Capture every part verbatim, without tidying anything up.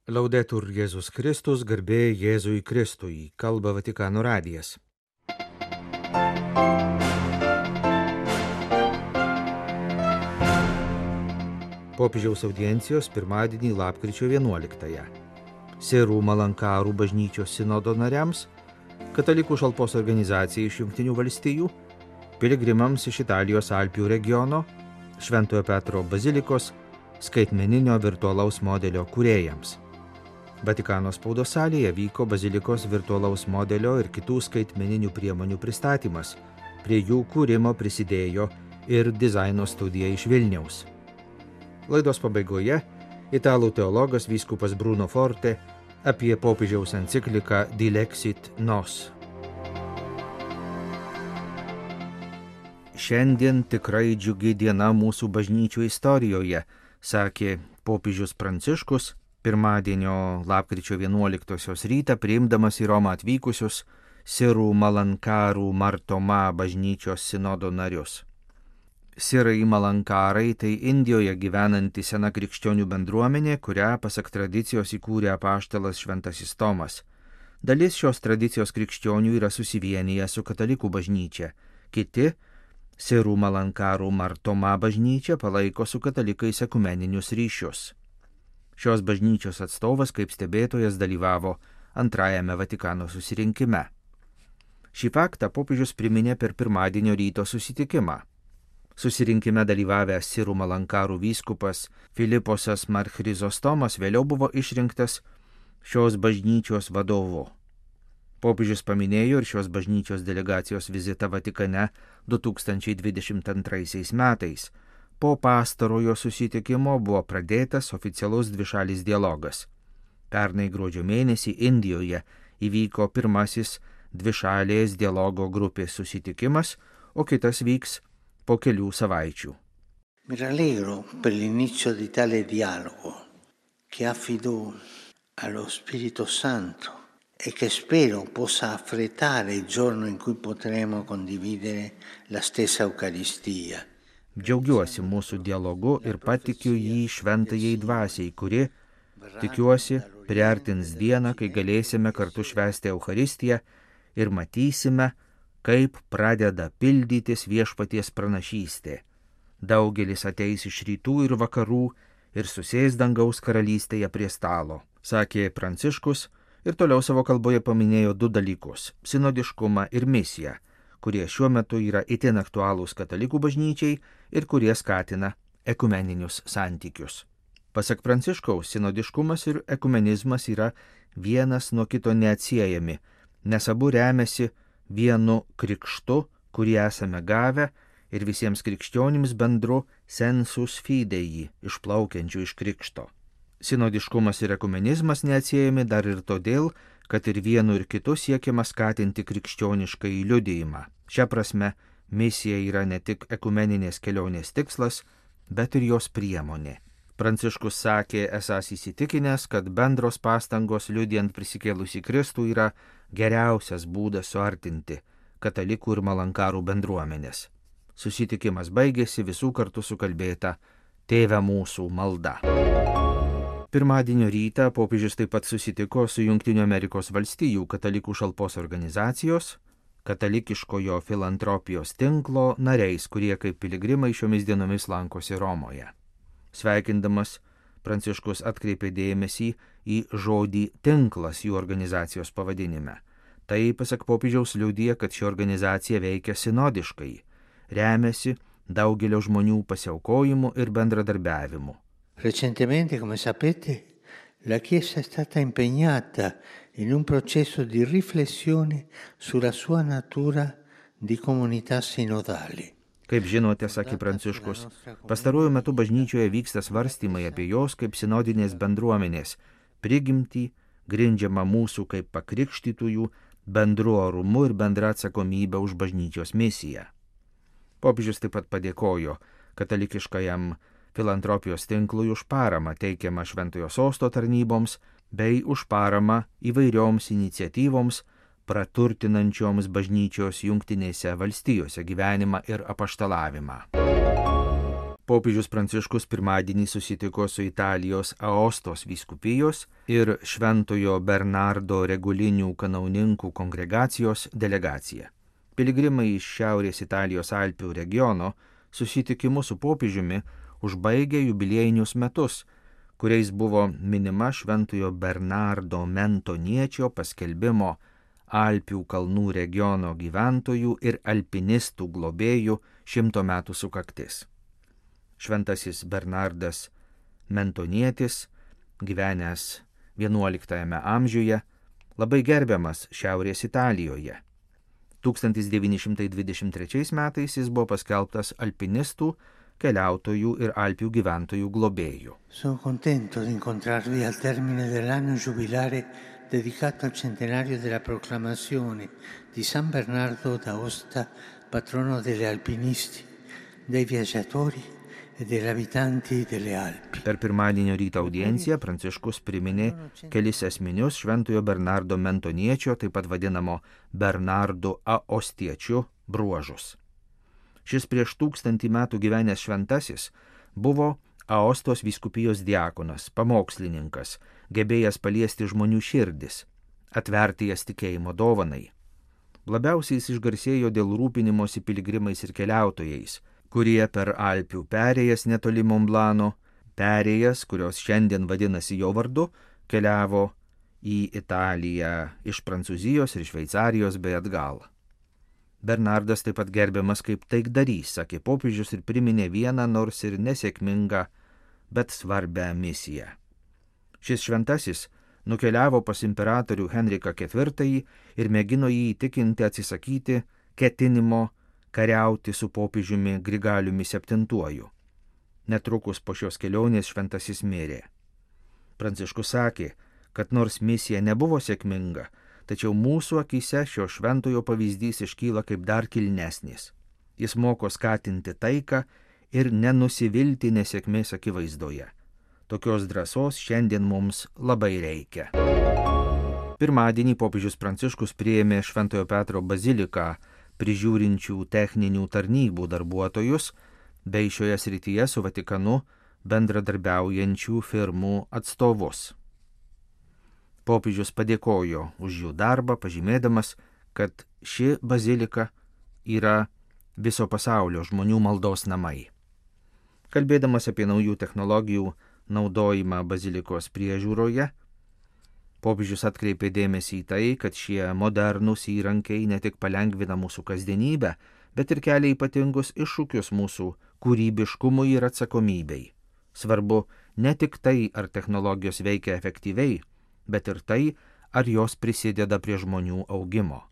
Laudetur Jėzus Kristus, garbė Jėzui Kristui, kalba Vatikano radijas. Popiežiaus audiencijos pirmadienį lapkričio vienuoliktąją. Sirų Malankarų bažnyčios sinodo nariams, katalikų šalpos organizacijai iš Jungtinių valstijų, piligrimams iš Italijos Alpių regiono, Šventojo Petro bazilikos, skaitmeninio virtualaus modelio kūrėjams. Vatikano spaudos salėje vyko bazilikos virtualaus modelio ir kitų skaitmeninių priemonių pristatymas. Prie jų kūrimo prisidėjo ir dizaino studija iš Vilniaus. Laidos pabaigoje italų teologas vyskupas Bruno Forte apie popiežiaus encikliką Dilexit Nos. Šiandien tikrai džiugi diena mūsų bažnyčių istorijoje, sakė popiežius Pranciškus, pirmadienio lapkričio vienuoliktosios rytą priimdamas į Romą atvykusius Sirų Malankarų Martoma bažnyčios sinodo narius. Sirai Malankarai tai Indijoje gyvenanti sena krikščionių bendruomenė, kurią pasak tradicijos įkūrė apaštalas Šventasis Tomas. Dalis šios tradicijos krikščionių yra susivienyje su katalikų bažnyčia, kiti Sirų Malankarų Martoma bažnyčia palaiko su katalikais ekumeninius ryšius. Šios bažnyčios atstovas kaip stebėtojas dalyvavo antrajame Vatikano susirinkime. Šį faktą popiežius priminė per pirmadienio ryto susitikimą. Susirinkime dalyvavęs Sirų Malankarų vyskupas Filiposas Marchrizostomas vėliau buvo išrinktas šios bažnyčios vadovu. Popiežius paminėjo ir šios bažnyčios delegacijos vizitą Vatikane du tūkstančiai dvidešimt antraisiais metais. Po pastarojo susitikimo buvo pradėtas oficialus dvišalis dialogas. Pernai gruodžio mėnesį Indijoje įvyko pirmasis dvišalės dialogo grupės susitikimas, o kitas vyks po kelių savaičių. Mi rallegro per l'inizio di tale dialogo che affido allo Spirito Santo e che spero possa affrettare il giorno in cui potremo condividere la stessa Eucaristia. Džiaugiuosi mūsų dialogu ir patikiu jį šventajai dvasiai, kuri, tikiuosi, priartins dieną, kai galėsime kartu švęsti Eucharistiją ir matysime, kaip pradeda pildytis viešpaties pranašystė. Daugelis ateis iš rytų ir vakarų ir susės dangaus karalystėje prie stalo, sakė Pranciškus ir toliau savo kalboje paminėjo du dalykus – sinodiškumą ir misiją, kurie šiuo metu yra itin aktualūs katalikų bažnyčiai ir kurie skatina ekumeninius santykius. Pasak Pranciškaus, sinodiškumas ir ekumenizmas yra vienas nuo kito neatsiejami, nes abu remiasi vienu krikštu, kurį esame gavę, ir visiems krikščionims bendru sensus fidei, išplaukiančių iš krikšto. Sinodiškumas ir ekumenizmas neatsiejami dar ir todėl, kad ir vienu ir kitu siekiama skatinti krikščionišką liudijimą. Šia prasme, misija yra ne tik ekumeninės kelionės tikslas, bet ir jos priemonė. Pranciškus sakė, esąs įsitikinęs, kad bendros pastangos liudijant prisikėlusį Kristų yra geriausias būdas suartinti katalikų ir malankarų bendruomenės. Susitikimas baigėsi visų kartu sukalbėta Tėve mūsų malda. Pirmadienio rytą popiežius taip pat susitiko su Jungtinių Amerikos valstijų katalikų šalpos organizacijos, katalikiškojo filantropijos tinklo nariais, kurie kaip piligrimai šiomis dienomis lankosi Romoje. Sveikindamas, Pranciškus atkreipė dėmesį į žodį tinklas jų organizacijos pavadinime. Tai, pasak popiežiaus, liudija, kad ši organizacija veikia sinodiškai, remiasi daugelio žmonių pasiaukojimu ir bendradarbiavimu. Recentemente, come sapete, la Chiesa è stata impegnata in un processo di riflessione sulla sua natura di comunità sinodale. Kaip žinote, sakė Pranciškus, pastaruoju metu bažnyčioje vyksta svarstymai apie jos kaip sinodinės bendruomenės, prigimtį, grindžiamą mūsų kaip pakrikštytųjų bendru orumu ir bendra atsakomybė už bažnyčios misiją. Popiežius taip pat padėkojo katalikiškajam filantropijos tinklui už paramą teikiamą Šventojo Sosto tarnyboms bei už paramą įvairioms iniciatyvoms, praturtinančioms bažnyčios Jungtinėse valstijose gyvenimą ir apaštalavimą. popiežius Pranciškus pirmadienį susitiko su Italijos Aostos vyskupijos ir Šventojo Bernardo regulinių kanauninkų kongregacijos delegacija. Piligrimai iš Šiaurės Italijos Alpių regiono susitikimu su popiežiumi užbaigė jubiliejinius metus, kuriais buvo minima Šventojo Bernardo Mentoniečio paskelbimo Alpių kalnų regiono gyventojų ir alpinistų globėjų šimto metų sukaktis. Šventasis Bernardas Mentonietis, gyvenęs vienuoliktajame amžiuje, labai gerbiamas Šiaurės Italijoje. tūkstantis devyni šimtai dvidešimt trečiais metais jis buvo paskelbtas alpinistų, keliautojų ir Alpių gyventojų globėjų. Sono contento di incontrarvi al termine dell'anno giubilare dedicato al centenario della proclamazione di San Bernardo d'Aosta, patrono degli alpinisti, dei viaggiatori e degli abitanti delle Alpi. Per pirmadienio ryto audienciją Pranciškus priminė kelis esminius Šventojo Bernardo Mentoniečio, taip pat vadinamo Bernardo Aostiečių bruožus. Šis prieš tūkstantį metų gyvenęs šventasis buvo Aostos vyskupijos diakonas, pamokslininkas, gebėjęs paliesti žmonių širdis, atverti jas tikėjimo dovanai. Labiausiai jis išgarsėjo dėl rūpinimosi piligrimais ir keliautojais, kurie per Alpių perėjas netoli Monblano, perėjas, kurios šiandien vadinasi jo vardu, keliavo į Italiją iš Prancūzijos ir Šveicarijos bei atgal. Bernardas taip pat gerbiamas kaip taikdarys, sakė popiežius ir priminė vieną nors ir nesėkmingą, bet svarbią misiją. Šis šventasis nukeliavo pas imperatorių Henriką ketvirtąjį ir mėgino jį įtikinti atsisakyti ketinimo kariauti su popiežiumi Grigaliumi septintuoju. Netrukus po šios kelionės šventasis mirė. Pranciškus sakė, kad nors misija nebuvo sėkminga, tačiau mūsų akyse šio šventojo pavyzdys iškyla kaip dar kilnesnis. Jis moko skatinti taiką ir nenusivilti nesėkmės akivaizdoje. Tokios drąsos šiandien mums labai reikia. Pirmadienį popiežius Pranciškus priėmė Šventojo Petro baziliką prižiūrinčių techninių tarnybų darbuotojus bei šioje srityje su Vatikanu bendradarbiaujančių firmų atstovus. Popiežius padėkojo už jų darbą, pažymėdamas, kad ši bazilika yra viso pasaulio žmonių maldos namai. Kalbėdamas apie naujų technologijų naudojimą bazilikos priežiūroje, popiežius atkreipė dėmesį į tai, kad šie modernūs įrankiai ne tik palengvina mūsų kasdienybę, bet ir kelia ypatingus iššūkius mūsų kūrybiškumui ir atsakomybei. Svarbu ne tik tai, ar technologijos veikia efektyviai, bet ir tai, ar jos prisideda prie žmonių augimo.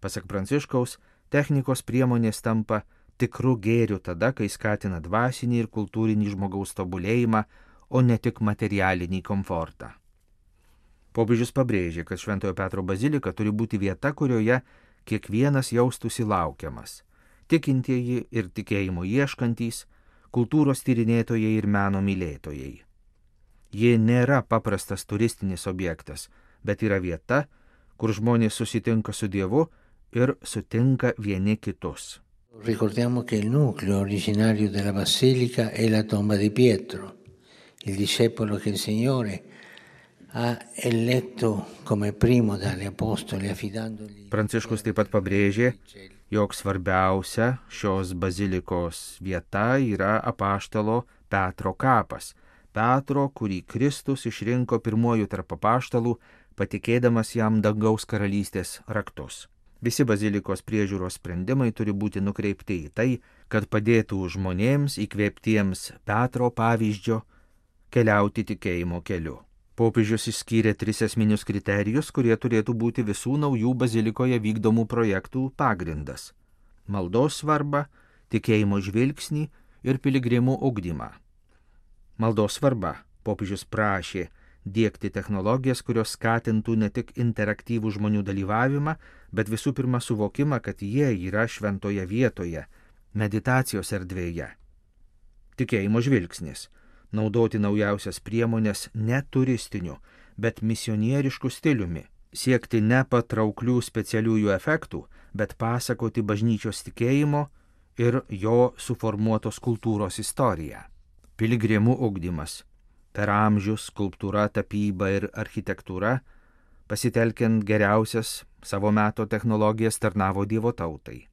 Pasak Pranciškaus, technikos priemonės tampa tikru gėriu tada, kai skatina dvasinį ir kultūrinį žmogaus tobulėjimą, o ne tik materialinį komfortą. Popiežius pabrėžė, kad Šventojo Petro bazilika turi būti vieta, kurioje kiekvienas jaustųsi laukiamas. Tikintieji ir tikėjimo ieškantys, kultūros tyrinėtojai ir meno mylėtojai. Ji nėra paprastas turistinis objektas, bet yra vieta, kur žmonės susitinka su Dievu ir sutinka vieni kitus. Ricordiamo che il nucleo originario della basilica è la tomba di Pietro, il discepolo che il Signore ha eletto come primo dagli apostoli affidandogli. Pranciškus taip pat pabrėžė, jog svarbiausia šios bazilikos vieta yra apaštalo Petro kapas. Petro, kurį Kristus išrinko pirmuoju tarp apaštalų, patikėdamas jam dangaus karalystės raktus. Visi bazilikos priežiūros sprendimai turi būti nukreipti į tai, kad padėtų žmonėms įkvėptiems Petro pavyzdžio keliauti tikėjimo keliu. Popiežius išskyrė tris esminius kriterijus, kurie turėtų būti visų naujų bazilikoje vykdomų projektų pagrindas – maldos svarbą, tikėjimo žvilgsnį ir piligrimų ugdymą. Maldos svarba. Popiežius prašė diegti technologijas, kurios skatintų ne tik interaktyvų žmonių dalyvavimą, bet visų pirma suvokimą, kad jie yra šventoje vietoje, meditacijos erdvėje. Tikėjimo žvilgsnis. Naudoti naujausias priemonės ne turistiniu, bet misionierišku stiliumi. Siekti ne patrauklių specialiųjų efektų, bet pasakoti bažnyčios tikėjimo ir jo suformuotos kultūros istoriją. Piligrimų ugdymas. Per amžius skulptūra, tapyba ir architektūra, pasitelkiant geriausias savo meto technologijas, tarnavo Dievo tautai.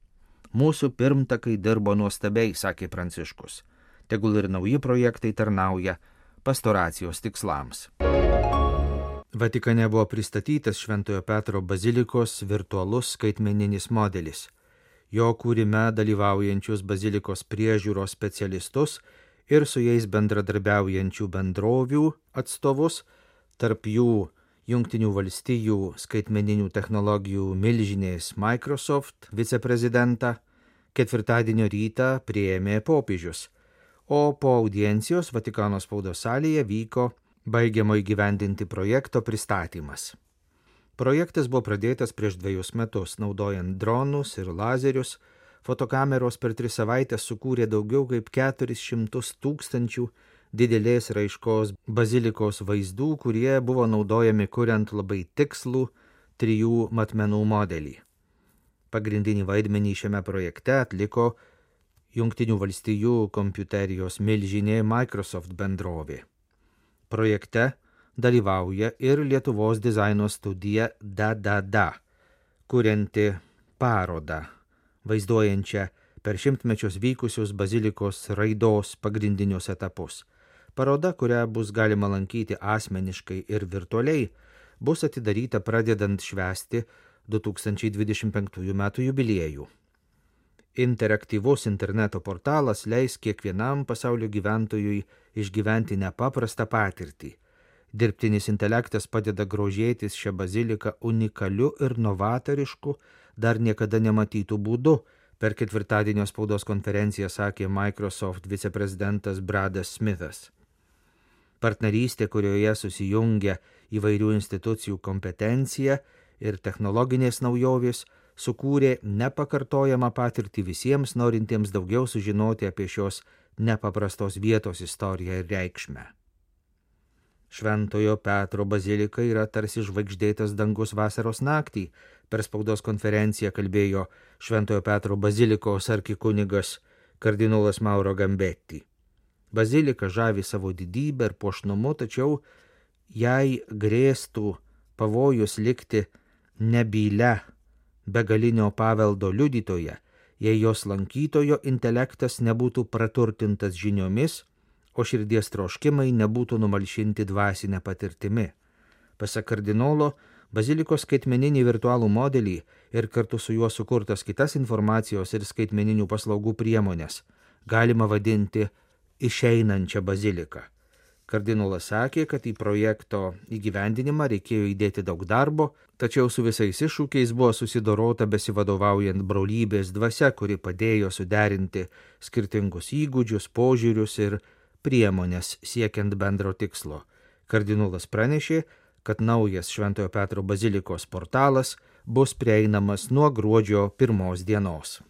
Mūsų pirmtakai dirbo nuostabiai, sakė Pranciškus. Tegul ir nauji projektai tarnauja pastoracijos tikslams. Vatikane buvo pristatytas Šventojo Petro bazilikos virtualus skaitmeninis modelis. Jo kūrime dalyvaujančius bazilikos priežiūros specialistus ir su jais bendradarbiaujančių bendrovių atstovus, tarp jų Jungtinių valstijų skaitmeninių technologijų milžinės Microsoft viceprezidentą, ketvirtadienio rytą priėmė popiežius, o po audiencijos Vatikano spaudos salėje vyko baigiamo įgyvendinti projekto pristatymas. Projektas buvo pradėtas prieš dviejus metus, naudojant dronus ir lazerius. Fotokameros per tris savaitės sukūrė daugiau kaip keturis šimtus tūkstančių didelės raiškos bazilikos vaizdų, kurie buvo naudojami kuriant labai tikslų trijų matmenų modelį. Pagrindinį vaidmenį šiame projekte atliko Jungtinių valstijų kompiuterijos milžinė Microsoft bendrovė. Projekte dalyvauja ir Lietuvos dizaino studija D D D, kurianti parodą, vaizduojančią per šimtmečius vykusius bazilikos raidos pagrindinius etapus. Paroda, kurią bus galima lankyti asmeniškai ir virtualiai, bus atidaryta pradedant švęsti du tūkstančiai dvidešimt penktųjų metų jubiliejų. Interaktyvus interneto portalas leis kiekvienam pasaulio gyventojui išgyventi nepaprastą patirtį. Dirbtinis intelektas padeda grožėtis šią baziliką unikaliu ir novatorišku, dar niekada nematytų būdu, per ketvirtadienio spaudos konferenciją sakė Microsoft viceprezidentas Bradas Smithas. Partnerystė, kurioje susijungia įvairių institucijų kompetencija ir technologinės naujovės, sukūrė nepakartojamą patirtį visiems norintiems daugiau sužinoti apie šios nepaprastos vietos istoriją ir reikšmę. Šventojo Petro bazilika yra tarsi žvaigždėtas dangus vasaros naktį. Per spaudos konferenciją kalbėjo Šventojo Petro bazilikos arkikunigas kardinolas Mauro Gambetti. Bazilika žavi savo didybę ir puošnumu, tačiau jai grėstų pavojus likti nebylia begalinio paveldo liudytoja, jei jos lankytojo intelektas nebūtų praturtintas žiniomis, o širdies troškimai nebūtų numalšinti dvasinę patirtimi. Pasak kardinolo, bazilikos skaitmeninį virtualų modelį ir kartu su juo sukurtas kitas informacijos ir skaitmeninių paslaugų priemonės galima vadinti išeinančią baziliką. Kardinolas sakė, kad į projekto įgyvendinimą reikėjo įdėti daug darbo, tačiau su visais iššūkiais buvo susidorota besivadovaujant brolybės dvasia, kuri padėjo suderinti skirtingus įgūdžius, požiūrius ir priemonės siekiant bendro tikslo. Kardinolas pranešė, kad naujas Šventojo Petro bazilikos portalas bus prieinamas nuo gruodžio pirmos dienos.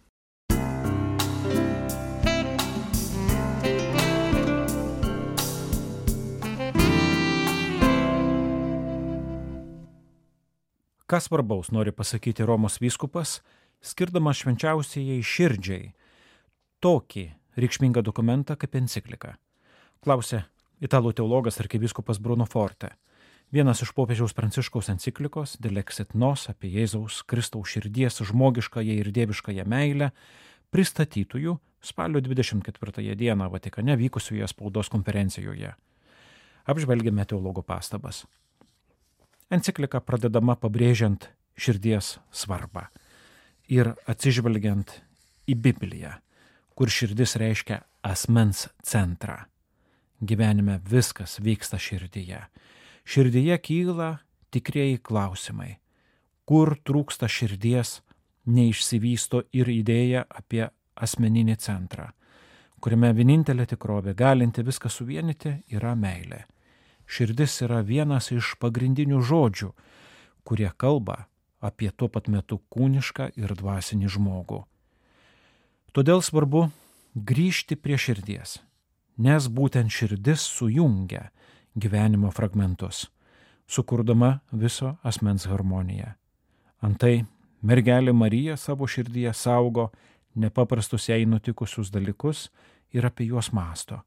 Ką svarbaus nori pasakyti Romos vyskupas, skirdamas švenčiausiajai širdžiai tokį reikšmingą dokumentą kaip enciklika? Klausė italų teologas arkivyskupas Bruno Forte, vienas iš popiežiaus Pranciškaus enciklikos De Lexit Nos apie Jėzaus Kristaus širdies žmogiškąją ir dieviškąją meilę pristatytųjų spalio dvidešimt ketvirtąją dieną Vatikane vykusioje spaudos konferencijoje. Apžvelgėme teologo pastabas. Enciklika pradedama pabrėžiant širdies svarbą ir atsižvelgiant į Bibliją, kur širdis reiškia asmens centrą. Gyvenime viskas vyksta širdyje. Širdyje kyla tikrieji klausimai. Kur trūksta širdies, neišsivysto ir idėja apie asmeninį centrą, kuriame vienintelė tikrovė galinti viską suvienyti yra meilė. Širdis yra vienas iš pagrindinių žodžių, kurie kalba apie tuo pat metu kūnišką ir dvasinį žmogų. Todėl svarbu grįžti prie širdies, nes būtent širdis sujungia gyvenimo fragmentus, sukurdama viso asmens harmoniją. Antai mergelė Marija savo širdyje saugo nepaprastus jai nutikusius dalykus ir apie juos mąsto.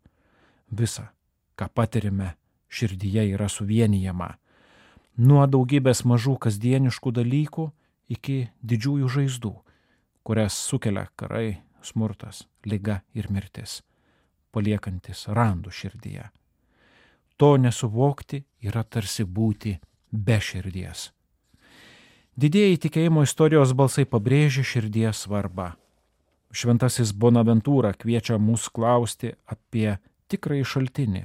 Visa, ką patirime, širdyje yra suvienijama. Nuo daugybės mažų kasdieniškų dalykų iki didžiųjų žaizdų, kurias sukelia karai, smurtas, liga ir mirtis, paliekantis randų širdyje. To nesuvokti yra tarsi būti be širdies. Didieji tikėjimo istorijos balsai pabrėžia širdies svarbą. Šventasis Bonaventūra kviečia mus klausti apie tikrąjį šaltinį,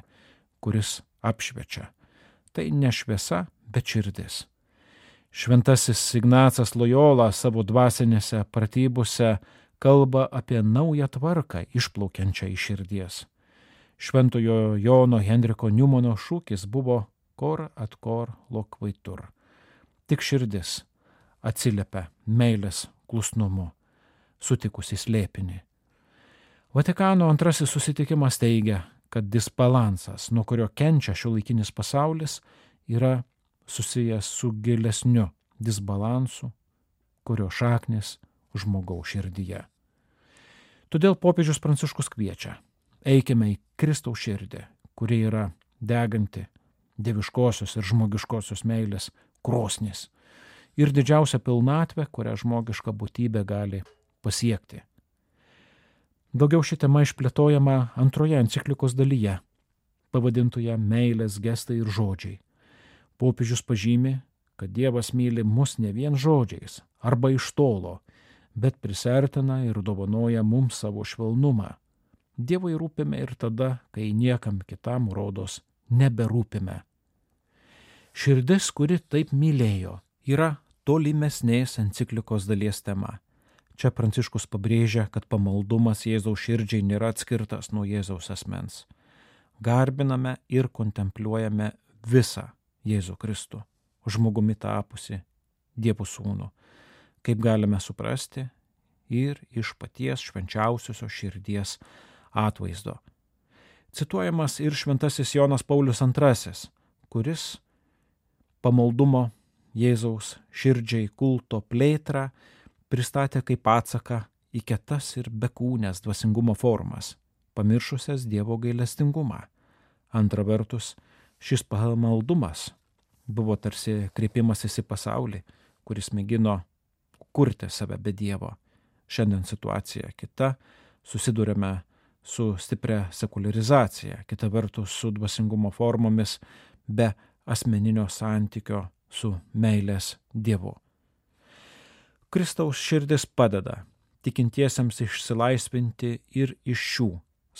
kuris apšviečia. Tai ne šviesa, bet širdis. Šventasis Ignacas Lojola savo dvasinėse pratybose kalba apie naują tvarką išplaukiančią iš širdies. Šventojo Jono Henriko Niumano šūkis buvo cor ad cor loquitur. Tik širdis atsiliepia meilės klusnumu, sutikusi slėpinį. Vatikano antrasis susitikimas teigia, kad disbalansas, nuo kurio kenčia šiuolaikinis pasaulis, yra susijęs su gilesniu disbalansu, kurio šaknis žmogaus širdyje. Todėl popiežius Pranciškus kviečia: eikime į Kristaus širdį, kuri yra deganti dieviškosios ir žmogiškosios meilės krosnis ir didžiausia pilnatvė, kurią žmogiška būtybė gali pasiekti. Daugiau ši tema išplėtojama antroje enciklikos dalyje, pavadintoje Meilės gestai ir žodžiai. Popiežius pažymi, kad Dievas myli mus ne vien žodžiais arba iš tolo, bet prisertina ir dovanoja mums savo švelnumą. Dievui rūpime ir tada, kai niekam kitam rodos neberūpime. Širdis, kuri taip mylėjo, yra tolimesnės enciklikos dalies tema. Čia Pranciškus pabrėžia, kad pamaldumas Jėzaus širdžiai nėra atskirtas nuo Jėzaus asmens. Garbiname ir kontempliuojame visą Jėzų Kristų, žmogumi tapusi Dievo sūnų, kaip galime suprasti ir iš paties švenčiausiosios širdies atvaizdo. Cituojamas ir šventasis Jonas Paulius antrasis, kuris pamaldumo Jėzaus širdžiai kulto plėtrą pristatė kaip atsaką į kietas ir bekūnės dvasingumo formas, pamiršusias Dievo gailestingumą. Antra vertus, šis pamaldumas buvo tarsi kreipimasis į pasaulį, kuris mėgino kurti save be Dievo. Šiandien situacija kita, susidurėme su stipria sekularizacija, kita vertus su dvasingumo formomis be asmeninio santykio su meilės Dievu. Kristaus širdis padeda tikintiesiems išsilaisvinti ir iš šių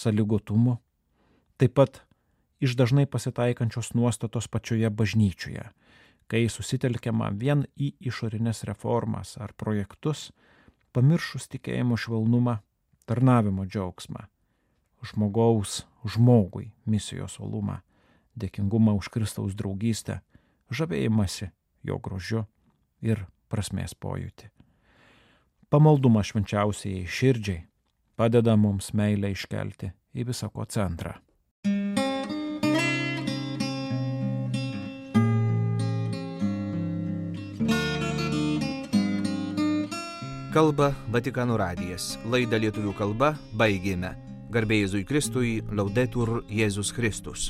sąlygotumų, taip pat iš dažnai pasitaikančios nuostatos pačioje bažnyčioje, kai susitelkiama vien į išorinės reformas ar projektus, pamiršus tikėjimo švelnumą, tarnavimo džiaugsmą, žmogaus žmogui misijos uolumą, dėkingumą už Kristaus draugystę, žavėjimąsi jo grožiu ir prasmės pojūtį. Pamaldumas švenčiausiai širdžiai padeda mums meilę iškelti į visako centrą. Kalba Vatikano radijas. Laidą lietuvių kalba baigėme. Garbė Jėzui Kristui, Laudetur Jėzus Kristus.